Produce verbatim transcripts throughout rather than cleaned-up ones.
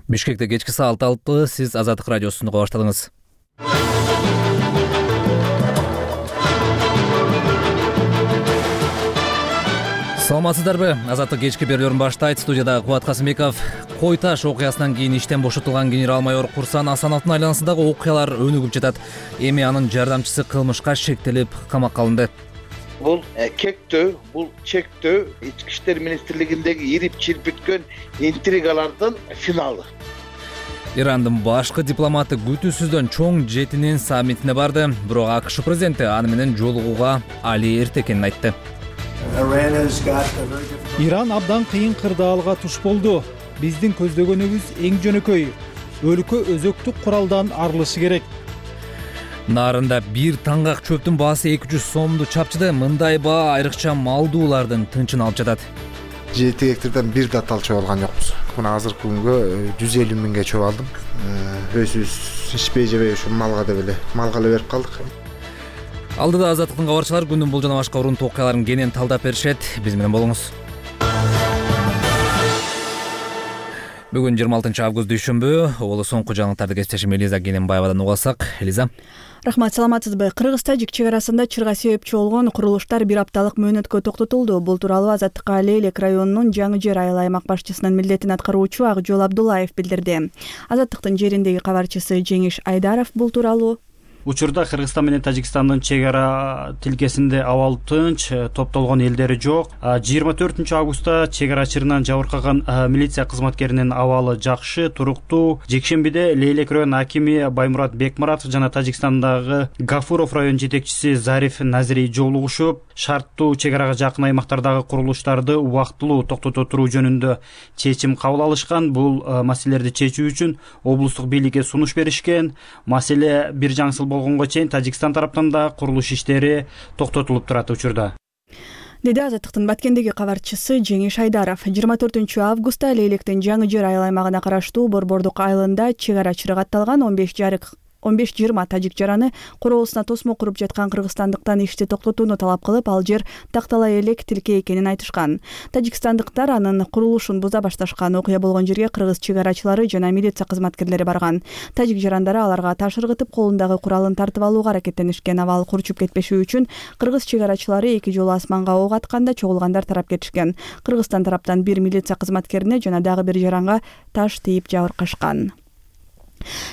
Бишкекте кечки саат алты, сиз Азаттык радиосун уга баштадыңыз. Саламатсыздарбы? Азаттык кечки берүүлөрүн баштайт. Студияда Кубат Касымбеков. Кой Таш окуясынан кийин иштен бошотулган генерал-майор Курсан Асановдун айланасындагы окуялар өнүгүп жатат. Эми анын жардамчысы кылмышка шектелип камакка алынды. Бул кектөө, бул чектөө ички иштер министрлигиндеги ирип чирпиткөн интригалардын финалы. Ирандын башкы дипломаты күтүүсүздөн чоң жетинин саммитине барды. Бирок АКШ президенти аны менен жолугууга али эрте экенин айтты. Иран абдан кыйын кырдаалга туш болду. Биздин көздөгөнүбүз эң жөнөкөй. Өлкө өзөктүк куралдан арылышы керек. Нарында бир таңгак чөптүн баасы эки жүз сомду чапчыды. Мындай баа айрыкча малдуулардын тынчын алып жатат. Жети гектардан бир да тал чөп алган жокпуз. Мына азыркы күнгө жүз элүү миңге чөп алдым. Өзүбүз ичпей жебей ушу малга деп эле малга эле берип калдык. Алдыда Азаттыктын кабарчылары күндүн бул жана башка урунтуу окуяларын кенен талдап беришет. Биз менен болуңуз. Бүгүн жыйырма алтынчы август дүйшөмбү. Олу соңку жаңылыктарды кесиптешим Элиза Кененбаевадан угасак. Элиза. Рахмат, саламатсызбы? Кыргыз-Тажик чек арасында чырга себепчи болгон курулуштар бир апталык мөөнөткө токтотулду. Бул тууралуу Азаттыкка Лейлек районунун Жаңы Жер айыл аймак башчысынын милдетин аткаруучу Акжол Абдуллаев билдирди. Азаттыктын жериндеги кабарчысы Жеңиш Айдаров бул тууралуу учурда Кыргызстан менен Тажикстандын чек ара тилкесинде абал тынч, топтолгон элдери жок. жыйырма төртүнчү августта чек ара чырынан жабыркаган милиция кызматкеринин абалы жакшы, туруктуу. Жекшембиде Лейлек район акими Баймурат Бекмуратов жана Тажикстандагы Гафуров район жетекчиси Зариф Назири жолугушуп, шарттуу чек арага жакын аймактардагы курулуштарды убактылуу токтото туруу жөнүндө чечим кабыл алышкан. Бул маселелерди чечүү үчүн облустук бийликке сунуш беришкен. Маселе бир жаңсыл болгонго чейин Тажикстан тараптан да курулуш иштери токтотулуп турат учурда, деди Азаттыктын Баткендеги кабарчысы Жеңиш Айдаров. жыйырма төртүнчү августта Лейлектин Жаңы Жер айыл аймагына караштуу Борбордук айылында чек ара чырыгы атталган он беш жарык он беш жыйырма тажик жараны короосуна тосмо куруп жаткан кыргызстандыктан ишти токтотууну талап кылып, ал жер такталай элек тилке экенин айтышкан. Тажикстандыктар анын курулушун буза башташкан. Окуя болгон жерге кыргыз чек арачылары жана милиция кызматкерлери барган. Тажик жарандары аларга таш ыргытып, колундагы куралын тартып алууга аракеттенишкен. Абал курчуп кетпеши үчүн кыргыз чек арачылары эки жолу асманга ок атканда чогулгандар тарап кетишкен. Кыргызстан тараптан бир милиция кызматкерине жана дагы бир жаранга таш тийип жабыркашкан.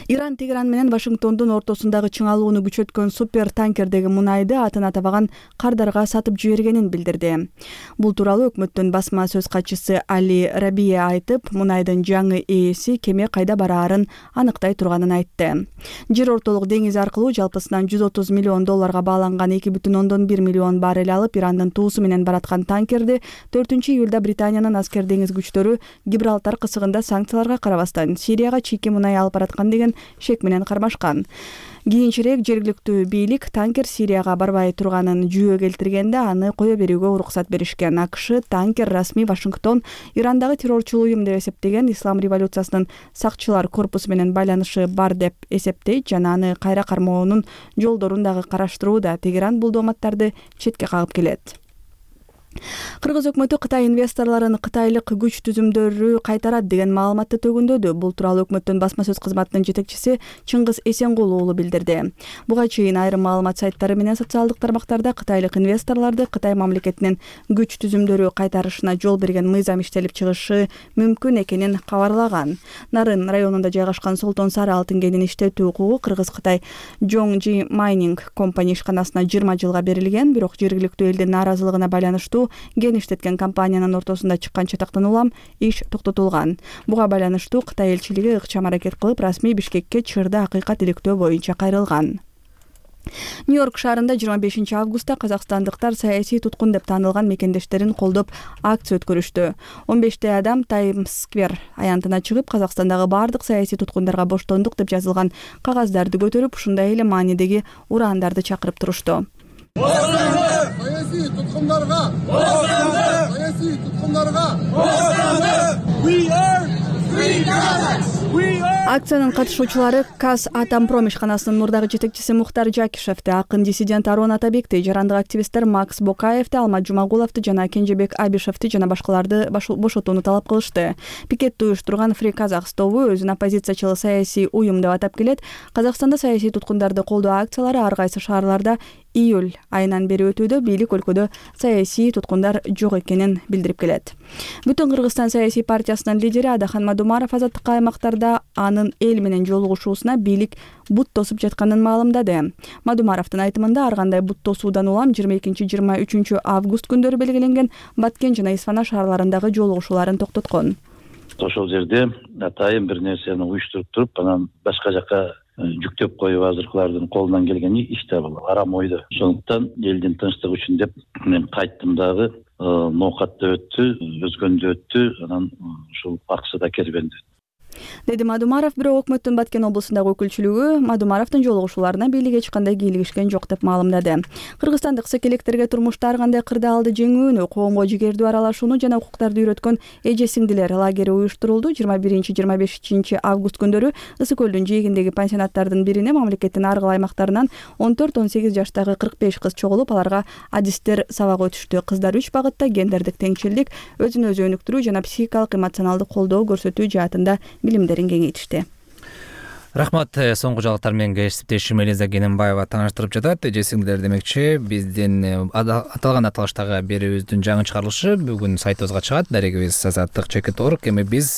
Иран Тегеран менен Вашингтондун ортосундагы чыңалууну күчөткөн супер танкердеги мунайды атын атабаган кардарга сатып жибергенин билдирди. Бул тууралуу өкмөттүн басма сөз катчысы Али Рабие айтып, мунайдын жаңы ээси кеме кайда бараарын аныктай турганын айтты. Жер ортолук деңиз аркылуу жалпысынан жүз отуз миллион долларга бааланган эки бүтүн ондон бир миллион баррель алып, Ирандын туусу менен бараткан танкерди төртүнчү июлда Британиянын аскер деңиз күчтөрү Гибралтар кысыгында санкцияларга карабастан Сирияга чийки мунай алып бараткан деген шек менен кармашкан. Кийинчерээк жергиликтүү бийлик танкер Сирияга барбай турганын жүйө келтиргенде аны кое берүүгө уруксат беришкен. АКШ танкер расмий Вашингтон Ирандагы террорчул уюм деп эсептеген Ислам революциясынын сакчылар корпусу менен байланышы бар деп эсептейт жана аны кайра кармоонун жолдорун дагы караштырууда. Тегеран бул дооматтарды четке кагып келет. Кыргыз өкмөтү Кытай инвесторлорун кытайлык күч түзүмдөрү кайтарат деген маалыматты төгүндөдү. Бул тууралуу өкмөттүн басма сөз кызматынын жетекчиси Чыңгыз Эсенгул уулу билдирди. Буга чейин айрым маалымат сайттары менен социалдык тармактарда кытайлык инвесторлорду Кытай мамлекетинин күч түзүмдөрү кайтарышына жол берген мыйзам иштелип чыгышы мүмкүн экенин кабарлаган. Нарын районунда жайгашкан Солтон Сары алтын кенин иштетүү укугу Кыргыз-Кытай Жоңжи Майнинг компания ишканасына жыйырма жылга берилген, бирок жергиликтүү элдин нааразылыгына байланыштуу ген иштеткен компаниянын ортосунда чыккан чатактан улам иш токтотулган. Буга байланыштуу Кытай элчилиги ыкчам аракет кылып, расмий Бишкекке чырды акыйкат иликтөө боюнча кайрылган. Нью-Йорк шаарында жыйырма бешинчи августта казакстандыктар саясий туткун деп таанылган мекендештерин колдоп акция өткөрүштү. он беште адам Таймс-сквер аянтына чыгып, Казакстандагы бардык саясий туткундарга боштондук деп жазылган кагаздарды көтөрүп, ушундай эле маанидеги ураандарды чакырып турушту. Саясий туткундарга! Саясий туткундарга! We are free Kazakhs! Акциянын катышуучулары КАЗ Атомпром ишканасынын мурдагы жетекчиси Мухтар Жакишевти, акын диссидент Аруун Атабекти, жарандык активисттер Макс Бокаевти, Алмат Жумагуловду жана Кенжебек Абишевти жана башкаларды бошотууну талап кылышты. Пикетти уюштурган Free Казакс тобу өзүн оппозициячыл саясий уюм деп атап келет. Казакстанда саясий туткундарды колдоо акциялары ар кайсы шаарларда июль айынан бери өтүүдө, бийлик өлкөдө саясий туткундар жок экенин билдирип келет. Бүтүн Кыргызстан саясий партиясынын лидери Адахан Мадумаров азаттыкка аймактарда анын эл менен жолугушуусуна бийлик бут тосуп жатканын маалымдады. Мадумаровдун айтымында ар кандай бут тосуудан улам жыйырма экинчи жыйырма үчүнчү август күндөрү белгиленген Баткен жана Исфана шаарларындагы жолугушууларын токтоткон. Ошол жерде атайын бир нерсени уюштуруп туруп, анан башка жака жүктөп коюп азыркылардын колунан келгени иште бул арам ойдо. Ошондуктан элдин тынчтыгы үчүн деп мен кайттым дагы, ноокат да өттү, өзгөн да өттү, анан ушул акча да кербенди. Деди Мадумаров, бирок өкмөттүн Баткен облусундагы өкүлчүлүгү Мадумаровдун жолугушууларына бийлик эч кандай кийлигишкен жок деп маалымдады. Кыргызстандык секелектерге турмушта ар кандай кырдаалды жеңүүнү, коомго жигердүү аралашууну жана укуктарды үйрөткөн эже-сиңдилер лагери уюштурулду. жыйырма биринчи жыйырма бешинчи август күндөрү Ысык көлдүн жээгиндеги пансионаттардын бирине мамлекеттин ар кыл аймактарынан он төрт он сегиз жаштагы кырк беш кыз чогулуп, аларга адистер сабак өтүштү. Кыздар үч багытта гендердик теңчилдик, өзүн өзү өнүктүрүү жана психикалык эмоционалдык колдоо көрсөтүү жаатында билимдерин кеңейтишти. Рахмат. Соңку жаңылыктар менен кесиптешим Элиза Кененбаева тааныштырып жатат. Эже-сиңдилер демекчи, биздин аталган аталыштагы берүүбүздүн жаңы чыгарылышы бүгүн сайтыбызга чыгат. Дарегибиз азаттык чекит точка орг. Эми биз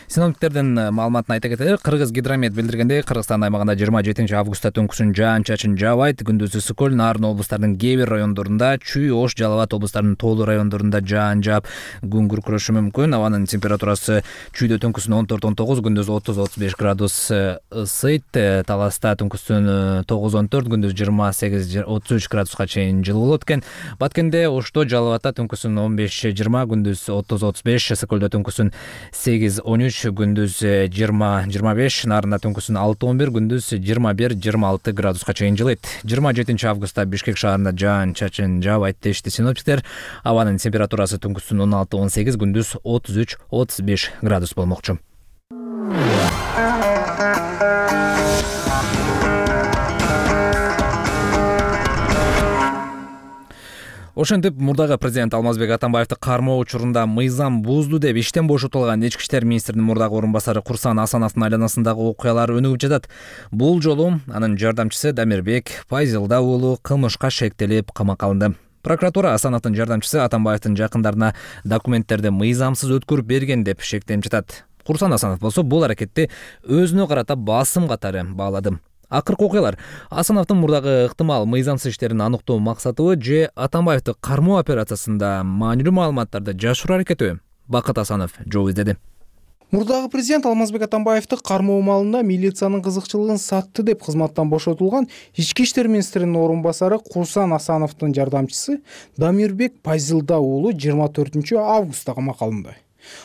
синоптиктердин маалыматын айта кетели. Кыргыз гидромет билдиргендей, Кыргызстан аймагында жыйырма жетинчи августта түнкүсүн жаан-чачын жаабайт. Күндүз Ысык көл, Нарын облустарынын кээ бир райондорунда, Чүй, Ош, Жалал Абад облустарынын тоолуу райондорунда жаан жаап, күн күркүрөшү мүмкүн. Абанын температурасы Чүйдө түнкүсүн он төрт он тогуз, күндүз отуз отуз беш градус ысыйт. Таласта түнкүсүн тогуз он төрт, күндүз жыйырма сегиз отуз үч градуска чейин жылуу болот экен. Баткенде, Ошто, Жалал Абадта түнкүсүн он беш жыйырма, күндүз отуз отуз беш, Ысык көлдө түнкүсүн сегиз он үч, күндүз жыйырма жыйырма беш, Нарында түнкүсүн алты он бир, күндүз жыйырма бир жыйырма алты градуска чейин жылыйт. жыйырма жетинчи августта Бишкек шаарында жаан-чачын жаабайт дешти синоптиктер. Абанын температурасы түнкүсүн он алты он сегиз, күндүз отуз үч отуз беш градус болмокчу. Ошентип, мурдагы президент Алмазбек Атамбаевди кармоо учурунда мыйзам бузду деп иштен бошотулган ички иштер министринин мурдагы орун басары Курсан Асановдун айланасындагы окуялар өнүгүп жатат. Бул жолу анын жардамчысы Дамирбек Пайзилда уулу кылмышка шектелип камакка алынды. Прокуратура Асановдун жардамчысы Атамбаевдин жакындарына документтерди мыйзамсыз өткөрүп берген деп шектенип жатат. Курсан Асанов болсо бул аракетти өзүнө карата басым катары баалады. Акыркы окуялар Асановдун мурдагы ыктымал мыйзамсыз иштерин аныктоо максатыбы же Атамбаевди кармоо операциясында маанилүү маалыматтарды жашыруу аракетиби? Бакыт Асанов жооп издеди. Мурдагы президент Алмазбек Атамбаевди кармоо маалында милициянын кызыкчылыгын сатты деп кызматтан бошотулган ички иштер министринин орун басары Курсан Асановдун жардамчысы Дамирбек Пайзилда уулу жыйырма төртүнчү августта камакка алынды.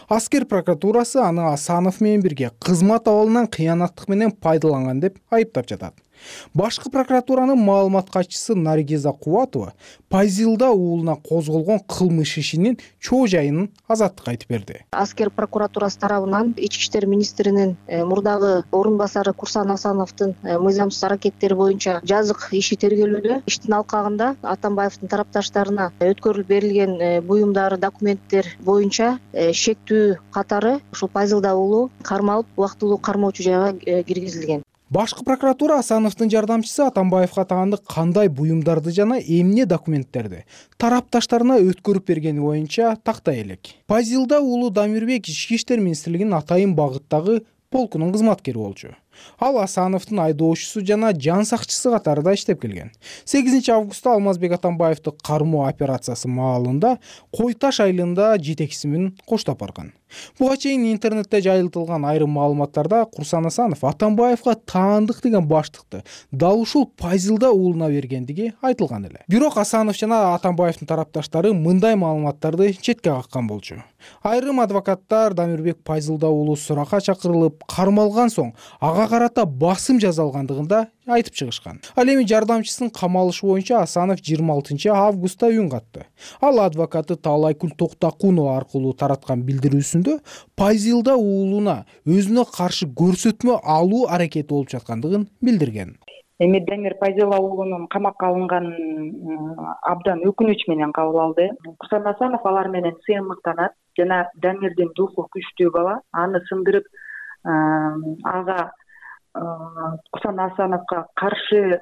Аскер прокуратурасы аны Асанов менен бирге кызмат абалынан кыянаттык менен пайдаланган деп айыптап жатат. Башкы прокуратуранын маалымат катчысы Наргиза Кубатова Пайзилда уулуна козголгон кылмыш ишинин чоо жайын азаттыкка айтып берди. Аскер прокуратурасы тарабынан ички иштер министринин мурдагы орун басары Курсан Асановдун мыйзамсыз аракеттери боюнча жазык иши тергелүүдө. Иштин алкагында Атамбаевдин тарапташтарына өткөрүлүп берилген буюмдар, документтер боюнча шектүү катары ушул Пайзилда уулу кармалып, убактылуу кармоочу жайга киргизилген. Башкы прокуратура Асановдун жардамчысы Атамбаевга тагынды кандай буюмдарды жана эмне документтерди тарапташтарына өткөрүп бергени боюнча тактай элек. Пайзилда уулу Дамирбек ички иштер министрлигинин атайын багыттагы полкунун кызматкери болчу. Ал Асановдун айдоочусу жана жан сакчысы катарында иштеп келген. сегизинчи августта Алмазбек Атамбаевди кармоо операциясы маалында Кой Таш айылында жетекчиси менен коштоп барган. Буга чейин интернетте жайылтылган айрым маалыматтарда Курсан Асанов Атамбаевга таандык деген баштыкты дал ушул Пайзилда уулуна бергендиги айтылган эле. Бирок Асанов жана Атамбаевдин тарапташтары мындай маалыматтарды четке каккан болчу. Айрым адвокаттар Дамирбек Пайзилда уулу суракка чакырылып, кармалган соң ага ага карата басым жасалгандыгын да айтып чыгышкан. Ал эми жардамчысын камалышы боюнча Асанов жыйырма алтынчы августта үн катты. Ал адвокаты Таалайкүл Токтакунова аркылуу тараткан билдирүүсүндө Пазилда уулуна өзүнө каршы көрсөтмө алуу аракети болуп жаткандыгын билдирген. Эми Дамир Пазила уулунун камакка алынганын абдан өкүнүч менен кабыл алды. Курсан Асанов алар менен сыйынмыктанат жана Дамирдин духу күчтүү бала, аны сындырып ага Курсан Асановго каршы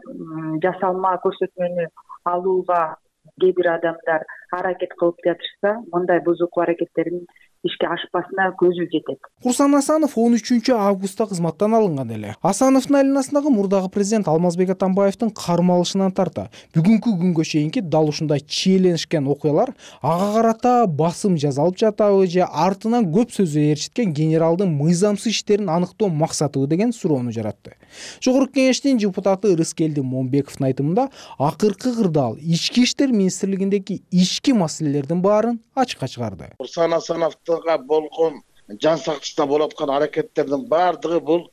жасалма көрсөтмөнү алууга кээ бир адамдар аракет кылып жатышса, мындай бузуктуу аракеттердин ишке ашпасына көзү жетет. Курсан Асанов он үчүнчү августта кызматтан алынган эле. Асановдун айланасындагы мурдагы президент Алмазбек Атамбаевдин кармалышынан тарта бүгүнкү күнгө чейинки дал ушундай чиеленишкен окуялар ага карата басым жасалып жатабы же артынан көп сөзү ээрчиткен генералдын мыйзамсыз иштерин аныктоо максатыбы деген суроону жаратты. Жогорку кеңештин депутаты Рыскелди Момбековдун айтымында акыркы кырдаал ички иштер министрлигиндеги ички маселелердин баарын ачыкка чыгарды. Курсан Асановго болгон жан сактышына болуп аткан аракеттердин баардыгы бул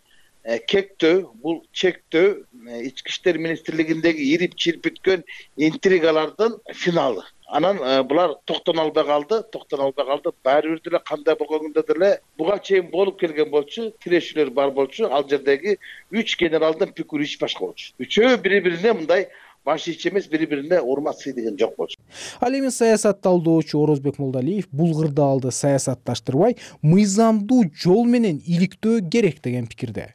кектөө, бул чектөө ички иштер министрлигиндеги ирип чирпиткөн интригалардын финалы. Анан булар токтоно албай калды, токтоно албай калды. Баары бир деле кандай болгондо деле буга чейин болуп келген болчу, тирешүүлөр бар болчу. Ал жердеги үч генералдын пикири ич башка болчу. Үчөө бири-бирине мындай баш ич эмес, бири-бирине урмат сыйдыгын жок болчу. Ал эми саясат талдоочу Орозбек Молдалиев бул кырдаалды саясатташтырбай, мыйзамдуу жол менен иликтөө керек деген пикирде.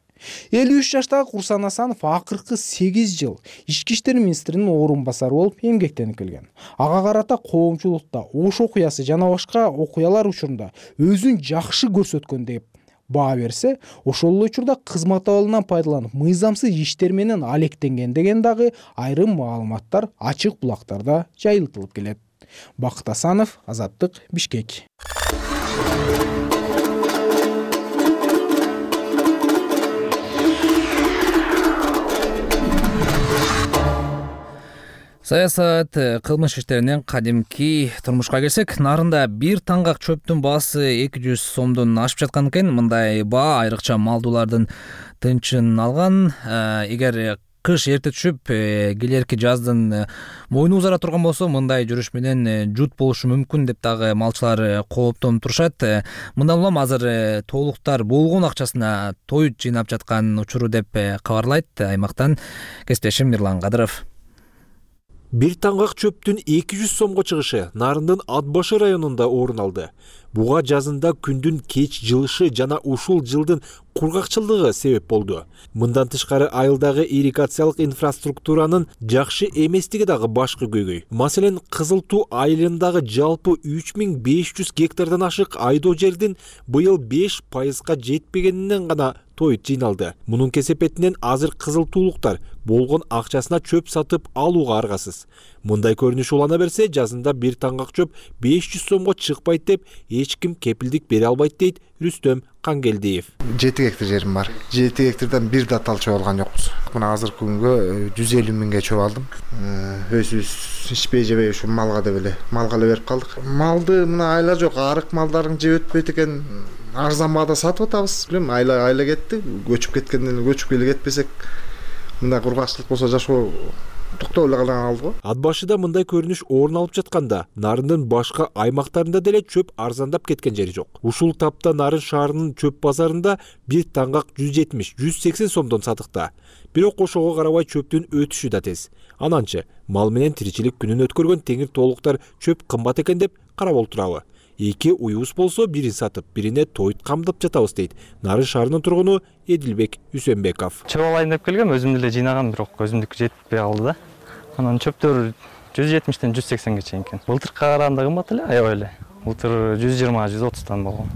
элүү үч жаштагы Курсан Асанов акыркы сегиз жыл ички иштер министринин орун басары болуп эмгектенип келген. Ага карата коомчулукта Ош окуясы жана башка окуялар учурунда өзүн жакшы көрсөткөн деп баа берсе, ошол эле учурда кызмат абалынан пайдаланып мыйзамсыз иштер менен алектенген деген дагы айрым маалыматтар ачык булактарда жайылтылып келет. Бакыт Асанов, Азаттык, Бишкек. Саясат, кылмыш иштеринен кадимки турмушка келсек, нарында бир таңгак чөптүн баасы эки жүз сомдон ашып жаткан экен. Мындай баа айрыкча малдуулардын тынчын алган. Эгер кыш эрте түшүп, келерки жаздын мойну узара турган болсо, мындай жүрүш менен жут болушу мүмкүн деп дагы малчылар кооптонуп турушат. Мындан улам азыр тоолуктар болгон акчасына той жыйнап жаткан учуру деп кабарлайт аймактан кесиптешим Мирлан Кадыров. Бир таңгак чөптүн эки жүз сомго чыгышы Нарындын Атбашы районунда орун алды. Буга жазында күндүн кеч жылышы жана ушул жылдын кургакчылыгы себеп болду. Мындан тышкары айылдагы ирригациялык инфраструктуранын жакшы эместиги дагы башкы көйгөй. Маселен, Кызыл Туу айылындагы жалпы үч миң беш жүз гектардан ашык айдоо жердин быйыл беш пайызга жетпегенинен гана той жыйналды. Мунун кесепетинен азыр Кызыл Туулуктар болгон акчасына чөп сатып алууга аргасыз. Мындай көрүнүш улана берсе, жазында бир таңгак чөп беш жүз сомго чыкпайт деп эч ким кепилдик бере албайт дейт Рүстөм Кангелдиев. жети гектар жерим бар. жети гектардан бир да тал чөп алган жокпуз. Мына азыркы күнгө жүз элүү миңге чөп алдым. Өзүбүз ичпей жебей ушу малга деп эле, малга эле берип калдык. Малды мына айла жок, арык малдарын жеп өтпөйт экен. Арзан баада сатып атабыз. Билем, айла айла кетти. Көчүп кеткенден көчүп эле кетпесек, мындай кургакчылык болсо жашоо токтоп эле калган алды го. Атбашыда мындай көрүнүш орун алып жатканда, Нарындын башка аймактарында деле чөп арзандап кеткен жери жок. Ушул тапта Нарын шаарынын чөп базарында бир таңгак жүз жетимиш — жүз сексен сомдон сатыкта. Бирок ошого карабай чөптүн өтүшү да тез. Ананчы мал менен тиричилик күнүн өткөргөн теңир тоолуктар чөп кымбат экен деп карап олтурабы? Эки уюбуз болсо бирин сатып, бирине тойт камдап жатабыз дейт Нарын шаарынын тургуну Эдилбек Үсөнбеков. Чөп алайын деп келгем, өзүм деле жыйнагам, бирок өзүмдүкү жетпей калды да. Анан чөптөр жүз жетимиштен жүз сексенге чейин экен. Былтыркыга караганда кымбат эле, аябай эле. Былтыр жүз жыйырма — жүз отуздан болгон.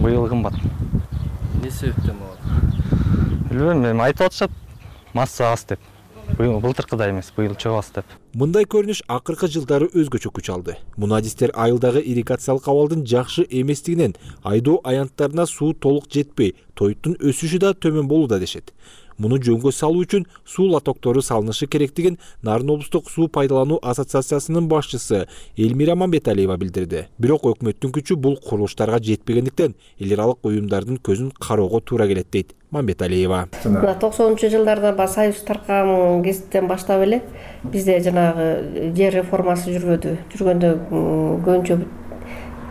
Быйыл кымбат. Эмне себептен болот? Билбейм, эми айтып атышат, масса аз деп. Быйыл былтыркыдай эмес, быйыл чөп аз деп. Мындай көрүнүш акыркы жылдары өзгөчө күч алды. Мунадистер айылдагы ирригациялык абалдын жакшы эместигинен айдоо аянттарына суу толук жетпей, тоyттун өсүшү да төмөн болууда дешет. Муну жөнгө салуу үчүн суу лотоктору салынышы керектигин Нарын облустук суу пайдалануу ассоциациясынын башчысы Элмира Мамбеталиева билдирди. Бирок өкмөттүн күчү бул курулуштарга жетпегендиктен эл аралык уюмдардын көзүн кароого туура келет дейт Мамбеталиева. токсонунчу жылдарда баягы союз таркаган кезиптен баштап эле бизде жанагы жер реформасы жүрбөдү. Жүргөндө көбүнчө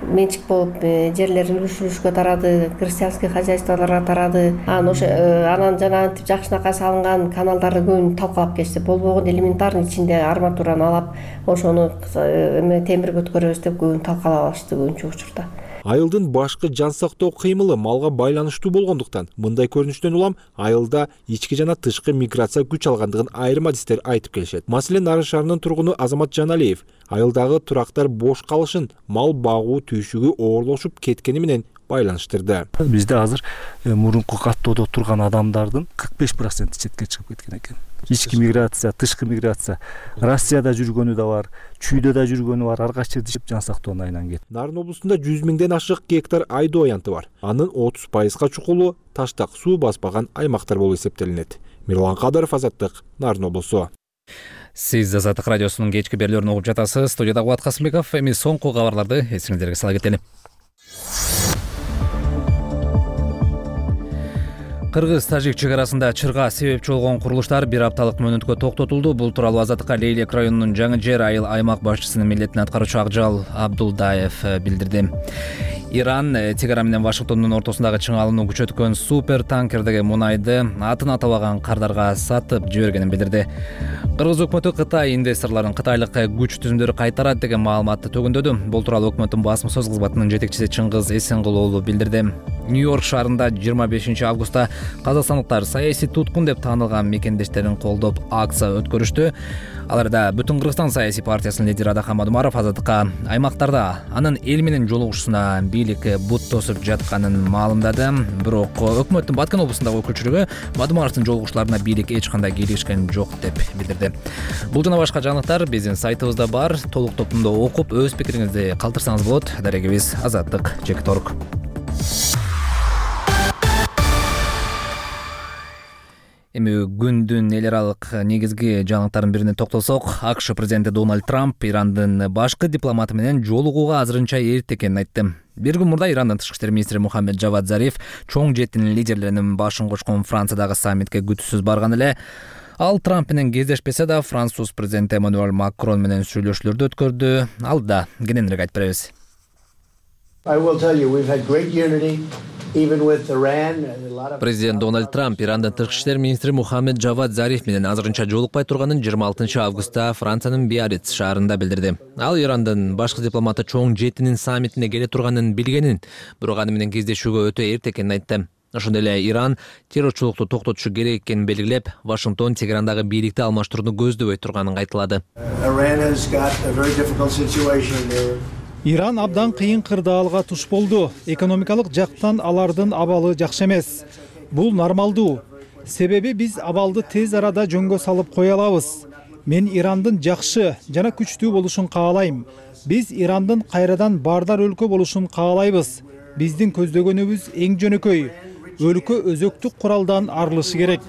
менчик болуп жерлер үлүш үлүшкө тарады, крестьянский хозяйстволорго тарады. Анан ошо анан жанагынтип жакшынакай салынган каналдарды көбүн талкалап кетти. Болбогон элементарный ичинде арматураны алып, ошону эме темирге өткөрөбүз деп көбүн талкалап алышты көбүнчө учурда. Айылдын башкы жан сактоо кыймылы малга байланыштуу болгондуктан мындай көрүнүштөн улам айылда ички жана тышкы миграция күч алгандыгын айрым адистер айтып келишет. Маселен, Нарын шаарынын тургуну Азамат Жаналиев айылдагы турактар бош калышын мал багуу түйшүгү ooрлошуп кеткени менен байланыштырды. Бизде азыр мурунку каттоодо турган адамдардын кырк беш проценти четке чыгып кеткен экен. Ички миграция, тышкы миграция. Россияда жүргөнү да бар, чүйдө да жүргөнү бар, ар кайсы жерде жан сактоонун айынан кетти. Нарын облусунда жүз миңден ашык гектар айдоо аянты бар. Анын отуз пайызга чукулу таштак суу баспаган аймактар болуп эсептелинет. Мирлан Кадыров, Азаттык, Нарын облусу. Сиз Азаттык радиосунун кечки берүүлөрүн угуп жатасыз. Студияда Кубат Касымбеков. Эми соңку кабарларды эсиңиздерге сала кетели. Кыргыз-Тажик чек арасында чырга себепчи болгон курулуштар бир апталык мөөнөткө токтотулду. Бул тууралуу Азаттыкка Лейлек районунун Жаңы Жер айыл аймак башчысынын милдетин аткаруучу Акжал Абдулдаев билдирди. Иран Тегеран менен Вашингтондун ортосундагы чыңалууну күчөткөн супер танкердеги мунайды атын атабаган кардарга сатып жибергенин билдирди. Кыргыз өкмөтү Кытай инвесторлорун кытайлык күч түзүмдөрү кайтарат деген маалыматты төгүндөдү. Бул тууралуу өкмөттүн басма сөз кызматынын жетекчиси Чыңгыз Эсенгул уулу билдирди. Нью-Йорк шаарында жыйырма бешинчи августта казакстандыктар саясий туткун деп таанылган мекендештерин колдоп акция өткөрүштү. Аларда Бүтүн Кыргызстан саясий партиясынын лидери Адахан Мадумаров Азаттыкка аймактарда анын эл менен жолугушусуна бийлик бут тосуп жатканын маалымдады. Бирок өкмөттүн Баткен облусундагы өкүлчүлүгү Мадумаровдун жолугушууларына бийлик эч кандай кийлигишкен жок деп билдирди. Бул жана башка жаңылыктар биздин сайтыбызда бар. Толук топунда окуп өз пикириңизди калтырсаңыз болот. Дарегибиз Азаттык чекит орг. Эми күндүн эл аралык негизги жаңылыктардын бирине токтолсок, АКШ президенти Дональд Трамп Ирандын башкы дипломаты менен жолугууга азырынча эрте экенин айтты. Бир күн мурда Ирандын тышкы иштер министри Мухаммед Жавад Зариф чоң жеттин лидерлеринин башын кошкон Франциядагы саммитке күтүүсүз барган эле. Ал Трамп менен кездешпесе да, француз президенти Эммануэль Макрон менен сүйлөшүүлөрдү өткөрдү. Алда кененирээк айтып беребиз. Президент Дональд Трамп Ирандын тышкы иштер министри Мухаммед Жавад Зариф менен азырынча жолукпай турганын жыйырма алтынчы августта Франциянын Биарриц шаарында билдирди. Ал Ирандын башкы дипломаты чоң жеттинин саммитине келе турганын билгенин, бирок аны менен кездешүүгө өтө эрте экенин айтты. Ошондой эле Иран террорчулукту токтотушу керек экенин белгилеп, Вашингтон Тегерандагы бийликти алмаштырууну көздөбөй турганын кайталады. Иран абдан кыйын кырдаалга туш болду. Экономикалык жактан алардын абалы жакшы эмес. Бул нормалдуу. Себеби биз абалды тез арада жөнгө салып кое алабыз. Мен Ирандын жакшы жана күчтүү болушун каалайм. Биз Ирандын кайрадан баардар өлкө болушун каалайбыз. Биздин көздөгөнүбүз эң жөнөкөй. Өлкө өзөктүк куралдан арылышы керек.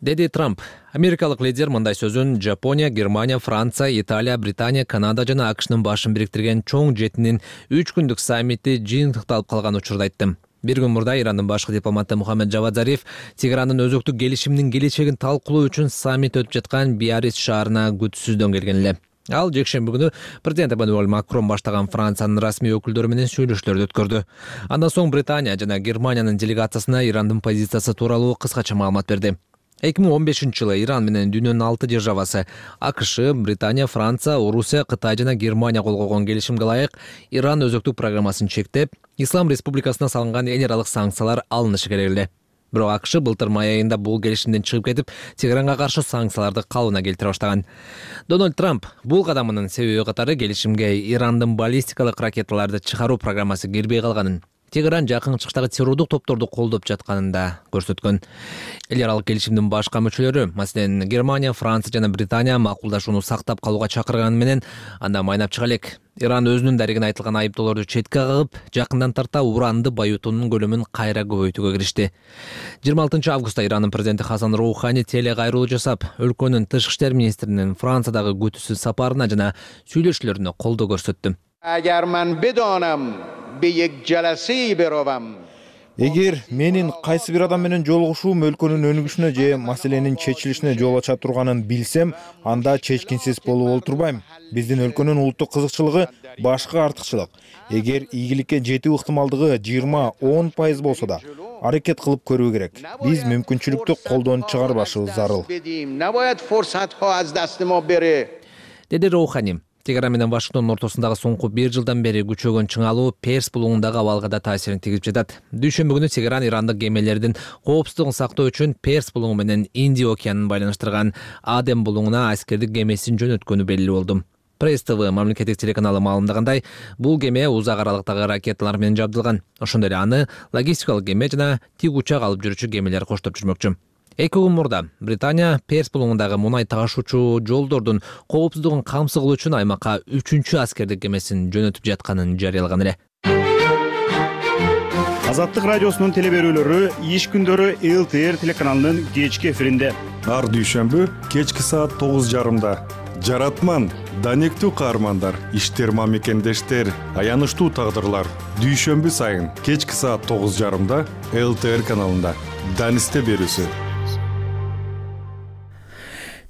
Деди Трамп. Америкалык лидер мындай сөзүн Жапония, Германия, Франция, Италия, Британия, Канада жана АКШнын башын бириктирген чоң жеттинин үч күндүк саммити жыйынтыкталып калган учурда айтты. Бир күн мурда Ирандын башкы дипломаты Мухаммед Жавад Зариф Тегерандын өзөктүк келишиминин келечегин талкуулоо үчүн саммит өтүп жаткан Биарриц шаарына күтүүсүздөн келген эле. Ал жекшемби күнү президент Эммануэль Макрон баштаган Франциянын расмий өкүлдөрү менен сүйлөшүүлөрдү өткөрдү. Андан соң Британия жана Германиянын делегациясына Ирандын позициясы тууралуу кыскача маалымат берди. эки миң он бешинчи жылы Иран менен дүйнөнүн алты державасы АКШ, Британия, Франция, Орусия, Кытай жана Германия кол койгон келишимге ылайык Иран өзөктүк программасын чектеп, Ислам Республикасына салынган эл аралык санкциялар алынышы керек эле. Бирок АКШ былтыр май айында бул келишимден чыгып кетип, Тегеранга каршы санкцияларды калыбына келтире баштаган. Дональд Трамп бул кадамынын себеби катары келишимге Ирандын баллистикалык ракеталарды чыгаруу программасы кирбей калганын, Тегеран жакын чыгыштагы террордук топторду колдоп жатканын да көрсөткөн. Эл аралык келишимдин башка мүчөлөрү, маселен Германия, Франция жана Британия макулдашууну сактап калууга чакырганы менен анда майнап чыга элек. Иран өзүнүн дарегине айтылган айыптоолорду четке кагып, жакындан тарта уранды байытуунун көлөмүн кайра көбөйтүүгө киришти. жыйырма алтынчы августта Ирандын президенти Хасан Роухани теле кайрылуу жасап, өлкөнүн тышкы иштер министринин Франциядагы күтүүсүз сапарына жана сүйлөшүүлөрүнө колдоо көрсөттү. Agar men bedonam be yek jalasi berovam. Эгер менин кайсы бир адам менен жолугушуум өлкөнүн өнүгүшүнө же маселенин чечилишине жол ача турганын билсем, анда чечкинсиз болуп олтурбайм. Биздин өлкөнүн улуттук кызыкчылыгы башка артыкчылык. Эгер ийгиликке жетүү ыктымалдыгы жыйырма он пайыз болсо да, аракет кылып көрүү керек. Биз мүмкүнчүлүктү колдон чыгарбашыбыз зарыл. Деди Роухани. Тегеран менен Вашингтондун ортосундагы соңку бир жылдан бери күчөгөн чыңалуу Перс булуңундагы абалга да таасирин тийгизип жатат. Дүйшөмбү күнү Тегеран ирандык кемелердин коопсуздугун сактоо үчүн Перс булуңу менен Индия океанын байланыштырган Адем булуңуна аскердик кемесин жөнөткөнү белгилүү болду. Пресс ТВ мамлекеттик телеканалы маалымдагандай, бул кеме узак аралыктагы ракеталар менен жабдылган. Ошондой эле аны логистикалык кеме жана тик учак алып жүрүүчү кемелер коштоп жүрмөкчү. Эки күн мурда Британия Перс булуңундагы мунай ташуучу жолдордун коопсуздугун камсыз кылуу үчүн аймакка үчүнчү аскердик кемесин жөнөтүп жатканын жарыялаган эле. Азаттык радиосунун теле берүүлөрү иш күндөрү эл ти эр телеканалынын кечки эфиринде. Ар дүйшөмбү кечки саат тогуз жарымда. Жаратман, данектүү каармандар, иштер мамекендештер, аянычтуу тагдырлар. Дүйшөмбү сайын кечки саат тогуз жарымда эл ти эр каналында. Данисте берүүсү.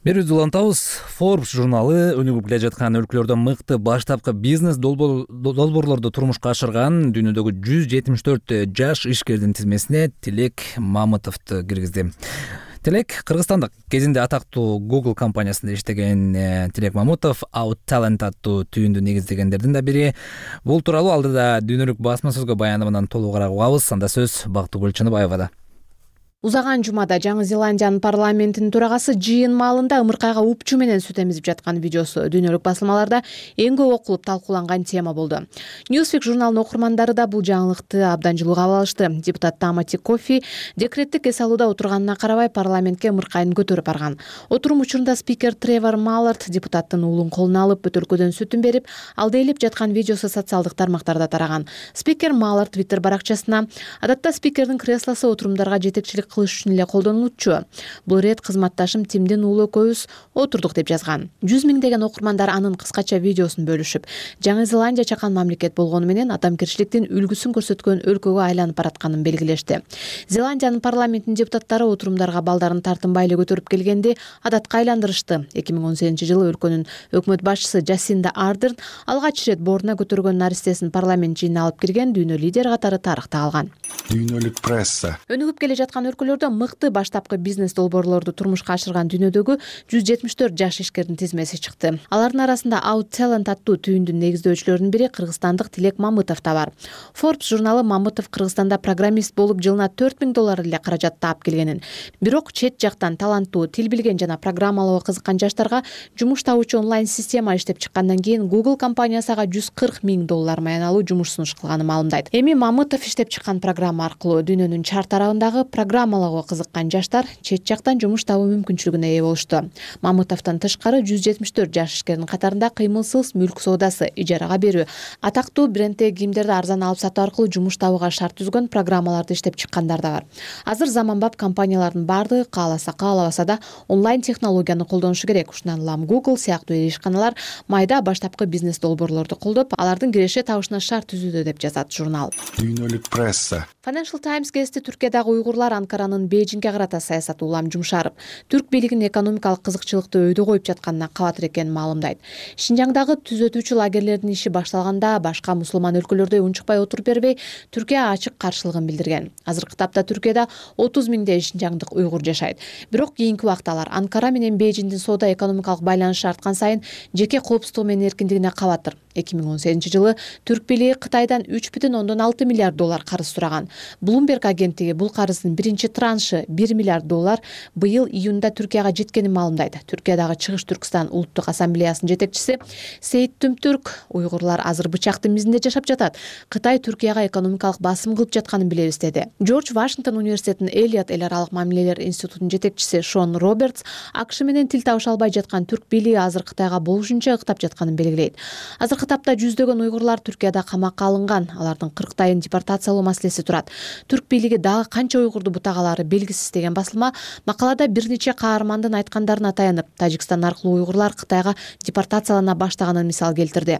Берүүбүздү улантабыз. Forbes журналы өнүгүп келе жаткан өлкөлөрдө мыкты баштапкы бизнес долбоорлорду турмушка ашырган дүйнөдөгү жүз жетимиш төрт жаш ишкердин тизмесине Тилек Мамытовду киргизди. Тилек кыргызстандык, кезинде атактуу Google компаниясында иштеген Тилек Мамытов OutTalent аттуу түйүндү негиздегендердин да бири. Бул тууралуу алдыда дүйнөлүк басма сөзгө баянымынан толугураак угабыз. Анда сөз Бактыгүл Чыныбаевада. Узаган жумада Жаңы Зеландиянын парламентинин төрагасы жыйын маалында ымыркайга упчу менен сүт эмизип жаткан видеосу дүйнөлүк басылмаларда эң көп окулуп талкууланган тема болду. Newsweek журналынын окурмандары да бул жаңылыкты абдан жылуу кабыл алышты. Депутат Тамати Кофи декреттик эс алууда отурганына карабай парламентке ымыркайын көтөрүп барган. Отурум учурунда спикер Тревор Маллард депутаттын уулун колуна алып бөтөлкөдөн сүтүн берип, алдайлап жаткан видеосу социалдык тармактарда тараган. Спикер Маллард Twitter баракчасына: "Адатта спикердин креслосу отурумдарга жетекчилик кылыш үчүн эле колдонулчу. Бул рет кызматташым Тимдин уулу экөөбүз отурдук" деп жазган. Жүз миңдеген окурмандар анын кыскача видеосун бөлүшүп, Жаңы Зеландия чакан мамлекет болгону менен адамгерчиликтин үлгүсүн көрсөткөн өлкөгө айланып баратканын белгилешти. Зеландиянын парламентинин депутаттары отурумдарга балдарын тартынбай эле көтөрүп келгенди адатка айландырышты. эки миң он сегизинчи жылы өлкөнүн өкмөт башчысы Жасинда Ардерн алгач ирет боруна көтөргөн наристесин парламент жыйынына алып кирген дүйнө лидери катары тарыхта калган. Дүйнөлүк пресса. Өнүгүп келе жаткан өлкөлөрдө мыкты баштапкы бизнес долбоорлорду турмушка ашырган дүйнөдөгү жүз жетимиш төрт жаш ишкердин тизмеси чыкты. Алардын арасында OutTalent аттуу түйүндүн негиздөөчүлөрүнүн бири кыргызстандык Тилек Мамытов да бар. Forbes журналы Мамытов Кыргызстанда программист болуп жылына төрт миң доллар эле каражат таап келгенин, бирок чет жактан таланттуу, тил билген жана программалоого кызыккан жаштарга жумуш табуучу онлайн система иштеп чыккандан кийин Google компаниясы ага жүз кырк миң доллар маяналуу жумуш сунуш кылганын маалымдайт. Эми Мамытов иштеп чыккан программа аркылуу дүйнөнүн чар тарабындагы программалоого кызыккан жаштар чет жактан жумуш табуу мүмкүнчүлүгүнө ээ болушту. Мамытовдон тышкары жүз жетимиш төрт жаш ишкердин катарында кыймылсыз мүлк соодасы, ижарага берүү, атактуу бренддеги кийимдерди арзан алып сатуу аркылуу жумуш табууга шарт түзгөн программаларды иштеп чыккандар да бар. Азыр заманбап компаниялардын бардыгы кааласа каалабаса да онлайн технологияны колдонушу керек. Ушундан улам Google сыяктуу ири ишканалар майда баштапкы бизнес долбоорлорду колдоп, алардын киреше табышына шарт түзүүдө деп жазат журнал. Дүйнөлүк пресса. Financial Times гезити Түркиядагы уйгурлар Анкаранын Бейжиңге карата саясаты улам жумшарып, түрк бийлигинин экономикалык кызыкчылыкты өйдө коюп жатканына кабатыр экенин маалымдайт. Шинжаңдагы түзөтүүчү лагерлердин иши башталганда башка мусулман өлкөлөрдөй унчукпай отуруп бербей, Түркия ачык каршылыгын билдирген. Азыркы тапта Түркияда отуз миңдей шинжаңдык уйгур жашайт. Бирок кийинки убакта алар Анкара менен Бейжиңдин соода экономикалык байланышы арткан сайын жеке коопсуздугу менен эркиндигине кабатыр. эки миң он сегизинчи жылы түрк бийлиги Кытайдан үч бүтүн ондон алты миллиард доллар карыз сураган. Bloomberg агенттиги бул карыздын биринчи траншы бир миллиард доллар быйыл июнда Түркияга жеткенин маалымдайт. Түркиядагы Чыгыш Түркстан улуттук ассамблеясынын жетекчиси Сейит Түмтүрк уйгурлар азыр бычактын мизинде жашап жатат. Кытай Түркияга экономикалык басым кылып жатканын билебиз деди. Джордж Вашингтон университетинин Элиот эл аралык мамилелер институтунун жетекчиси Шон Робертс АКШ менен тил табыша албай жаткан түрк бийлиги азыр Кытайга болушунча ыктап жатканын белгилейт. Азыркы тапта жүздөгөн уйгурлар Түркияда камакка алынган, алардын кырктайын депортациялоо маселеси турат. Түрк бийлиги дагы канча уйгурду бутагалары белгисиз деген басылма макалада бир нече каармандын айткандарына таянып, Тажикстан аркылуу уйгурлар Кытайга депортациялана баштаганын мисал келтирди.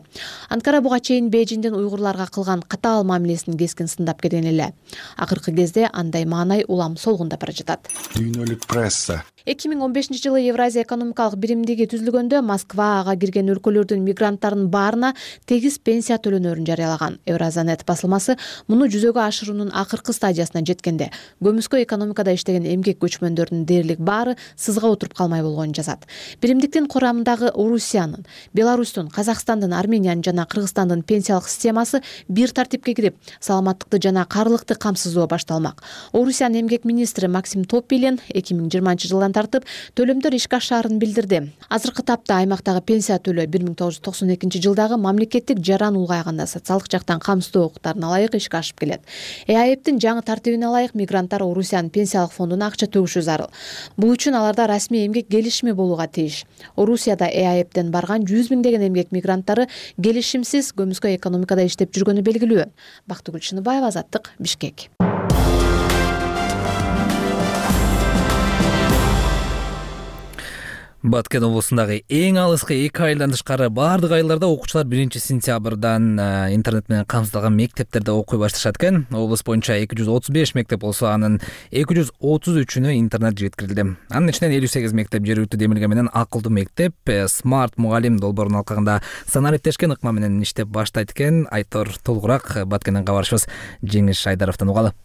Анкара буга чейин Бейжиңдин уйгурларга кылган катаал мамилесин кескин сындап келген эле. Акыркы кезде андай маанай улам солгундап бара жатат. Дүйнөлүк пресса эки миң он бешинчи жылы Евразия экономикалык биримдиги түзүлгөндө Москва ага кирген өлкөлөрдүн мигранттарынын баарына тегиз пенсия төлөнөрүн жарыялаган. Евразанет басылмасы муну жүзөгө ашыруунун акыркы стадиясына жеткенде көмүскө экономикада иштеген эмгек көчмөндөрдүн дээрлик баары сызга отуруп калмай болгонун жазат. Биримдиктин курамындагы Орусиянын, Беларустун, Казакстандын, Армениянын жана Кыргызстандын пенсиялык системасы бир тартипке кирип, саламаттыкты жана каарылыкты камсыздоо башталмак. Орусиянын эмгек министри Максим Топилин эки миң жыйырманчы жылдан тартып төлөмдөр ишке ашаарын билдирди. Азыркы тапта аймактагы пенсия төлөө бир миң тогуз жүз токсон экинчи жылдагы мамлекеттик жаран улгайганда социалдык жактан камсыздоо укуктарына ылайык ишке ашып келет. ЭАЭптин жаңы тартибине ылайык мигранттар Орусиянын пенсиялык фондуна акча төгүшү зарыл. Бул үчүн аларда расмий эмгек келишими болууга тийиш. Орусияда ЭАЭптен барган жүз миңдеген эмгек мигранттары келишимсиз көмүскө экономикада иштеп жүргөнү белгилүү. Бактыгүл Чыныбаева, Азаттык, Бишкек. Баткен облусундагы эң алыскы эки айылдан тышкары баардык айылдарда окуучулар биринчи сентябрдан интернет менен камсыздалган мектептерде окуй башташат экен. Облус боюнча эки жүз отуз беш мектеп болсо, анын эки жүз отуз үчүнө интернет жеткирилди. Анын ичинен элүү сегиз мектеп жергиликтүү демилге менен акылдуу мектеп, смарт мугалим долбоорун алкагында санариптешкен ыкма менен иштеп баштайт экен. Айтор толугураак Баткенден кабарчыбыз Жеңиш Шайдаровдон угалы.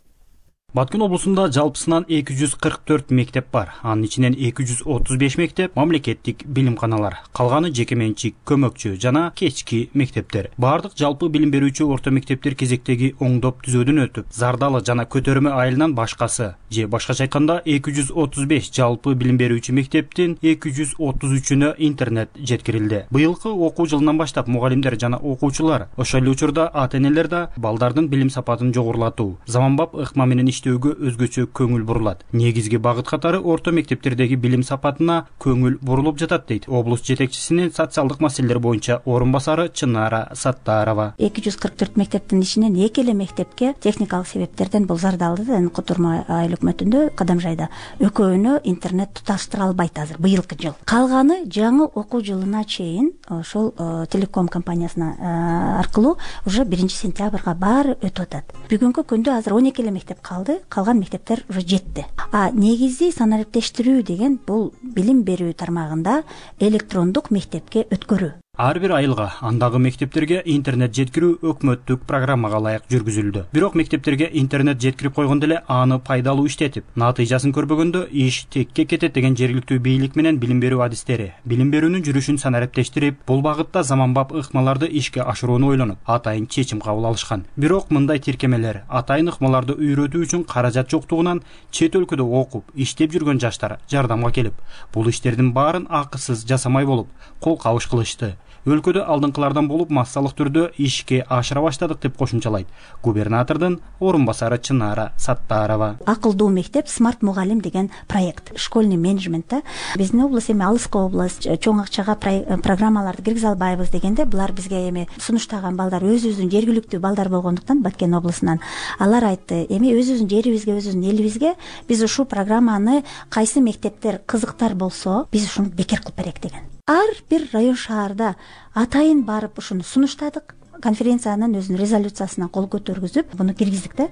Баткен облусунда жалпысынан эки жүз кырк төрт мектеп бар. Анын ичинен эки жүз отуз беш мектеп мамлекеттик билимканалар, калганы жеке менчик, көмөкчү жана кечки мектептер. Бардык жалпы билим берүүчү орто мектептер кезектеги оңдоп түзөөдөн өтүп, Зардалы жана Көтөрмө айылынан башкасы, же башкача айтканда эки жүз отуз беш жалпы билим берүүчү мектептин эки жүз отуз үчүнө интернет жеткирилди. Быйылкы окуу жылынан баштап мугалимдер жана окуучулар, ошол эле учурда ата-энелер да балдардын билим сапатын жогорулатуу, заманбап ыкма менен иштөөгө өзгөчө көңүл бурулат. Негизги багыт катары орто мектептердеги билим сапатына көңүл бурулуп жатат дейт облус жетекчисинин социалдык маселелер боюнча орун басары Чынара Саттарова. эки жүз кырк төрт мектептин ичинен эки эле мектепке техникалык себептерден, бул Зардалды жана Көтөрмө айыл өкмөтүндө, Кадамжайда экөөнө интернет туташтыра албайт азыр быйылкы жыл. Калганы жаңы окуу жылына чейин ошол телеком компаниясына аркылуу уже биринчи сентябрга баары өтүп атат. Бүгүнкү күндө азыр он эки эле мектеп калды. Калган мектептер уже жетти. А негизи санариптештирүү деген бул билим берүү тармагында электрондук мектепке өткөрүү. Ар бир айылга, андагы мектептерге интернет жеткирүү өкмөттүк программага ылайык жүргүзүлдү. Бирок мектептерге интернет жеткирип койгондо эле аны пайдалуу иштетип, натыйжасын көрбөгөндө иш текке кетет деген жергиликтүү бийлик менен билим берүү адистери билим берүүнүн жүрүшүн санариптештирип, бул багытта заманбап ыкмаларды ишке ашырууну ойлонуп, атайын чечим кабыл алышкан. Бирок мындай тиркемелер атайын ыкмаларды үйрөтүү үчүн каражат жоктугунан чет өлкөдө окуп, иштеп жүргөн жаштар жардамга келип, бул иштердин баарын акысыз жасамай болуп, кол кабыш кылышты. Өлкөдө алдыңкылардан болуп массалык түрдө ишке ашыра баштадык деп кошумчалайт губернатордун орун басары Чынара Саттарова. Акылдуу мектеп, смарт мугалим деген проект. Школьный менеджментте биздин облус эми алыскы облус, чоң акчага программаларды киргизе албайбыз дегенде, булар бизге эми сунуштаган балдар өзүбүздүн жергиликтүү балдар болгондуктан Баткен облусунан алар айтты, эми өзүбүздүн жерибизге, өзүбүздүн элибизге биз ушул программаны кайсы мектептер кызыктар болсо, биз ушуну бекер кылып берек деген. Ар бир район шаарда атайын барып ушуну сунуштадык. Конференциянын өзүнүн резолюциясына кол көтөргүзүп, буну киргиздик да.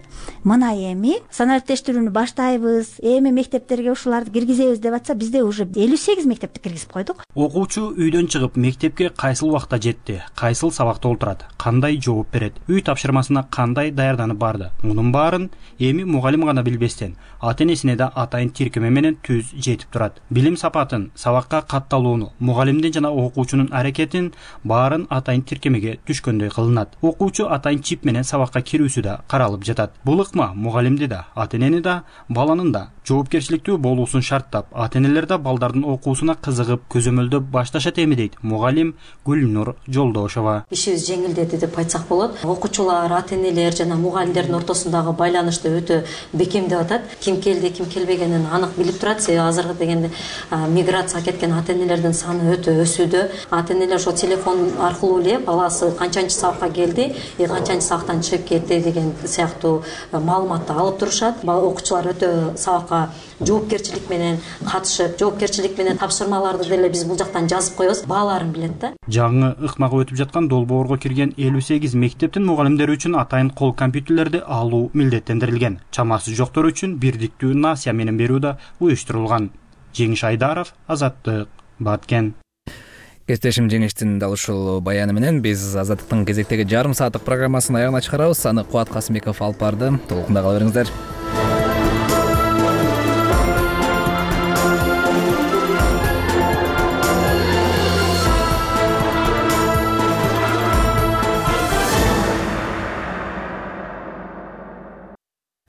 Мына эми санариптештирүүнү баштайбыз, эми мектептерге ушуларды киргизебиз деп атса, бизде уже элүү сегиз мектепти киргизип койдук. Окуучу үйдөн чыгып мектепке кайсыл убакта жетти, кайсыл сабакта олтурат, кандай жооп берет, үй тапшырмасына кандай даярданып барды. Мунун баарын эми мугалим гана билбестен, ата-энесине да атайын тиркеме менен түз жетип турат. Билим сапатын, сабакка катталууну, мугалимдин жана окуучунун аракетин баарын атайын тиркемеге түшкөндөй кылынат. Окуучу атайын чип менен сабакка кирүүсү да каралып жатат. Бул ыкма мугалимди да, ата-энени да, баланын да жоопкерчиликтүү болуусун шарттап, ата-энелер да балдардын окуусуна кызыгып, көзөмөлдөп башташат эми дейт мугалим Гүлнур Жолдошова. Ишибиз жеңилдеди деп айтсак болот. Окуучулар, ата-энелер жана мугалимдердин ортосундагы байланышты өтө бекемдеп атат. Ким келди, ким келбегенин анык билип турат. Азыркы дегенде миграция кеткен ата-энелердин саны өтө өсүүдө. Ата-энелер ошо телефон аркылуу эле баласы канчанчы сабакка келди, канчанчы сабактан чыгып кетти деген сыяктуу маалыматты алып турушат. Окуучулар өтө сабакка жоопкерчилик менен катышып, жоопкерчилик менен тапшырмаларды деле биз бул жактан жазып коебуз, бааларын билет да. Жаңы ыкмага өтүп жаткан долбоорго кирген элүү сегиз мектептин мугалимдери үчүн атайын кол компьютерлерди алуу милдеттендирилген. Чамасы жоктор үчүн бирдиктүү насыя менен берүү да уюштурулган. Жеңиш Айдаров, Азаттык, Баткен. Кесиптешим Жеңиштин дал ушул баяны менен биз Азаттыктын кезектеги жарым сааттык программасын аягына чыгарабыз. Аны Кубат Касымбеков алып барды. Толкунда кала бериңиздер.